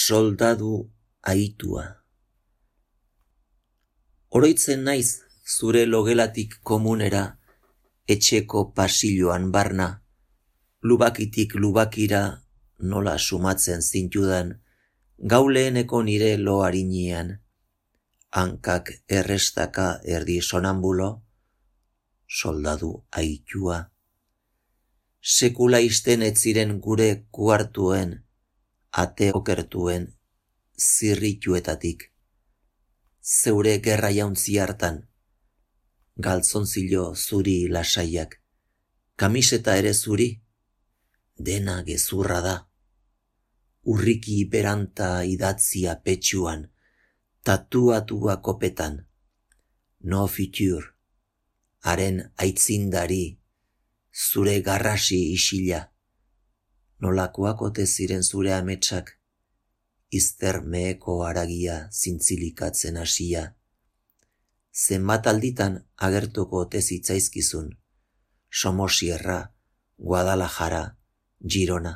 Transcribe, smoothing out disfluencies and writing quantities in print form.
Soldadu aitua. Oroitzen naiz zure logelatik komunera, etxeko pasilloan barna, lubakitik lubakira nola sumatzen zintudan, gau leheneko nire lo harinean, hankak errestaka erdi sonambulo, soldadu aitua. Sekula isten ez ziren gure kuartuen, ate okertuen zirrituetatik. Zeure gerra jauntzi hartan, galtzontzilo zuri lasaiak, kamiseta ere zuri, dena gezurra da. Urriki beranta idatzia petxuan, tatuatua kopetan, no future, haren aitzindari, zure garrasi isila. Nolakoak ote ziren zure ametsak, izter meheko haragia zintzilikatzen hasia. Zenbat alditan agertuko ote zitzaizkizun, Somosierra, Guadalajara, Girona.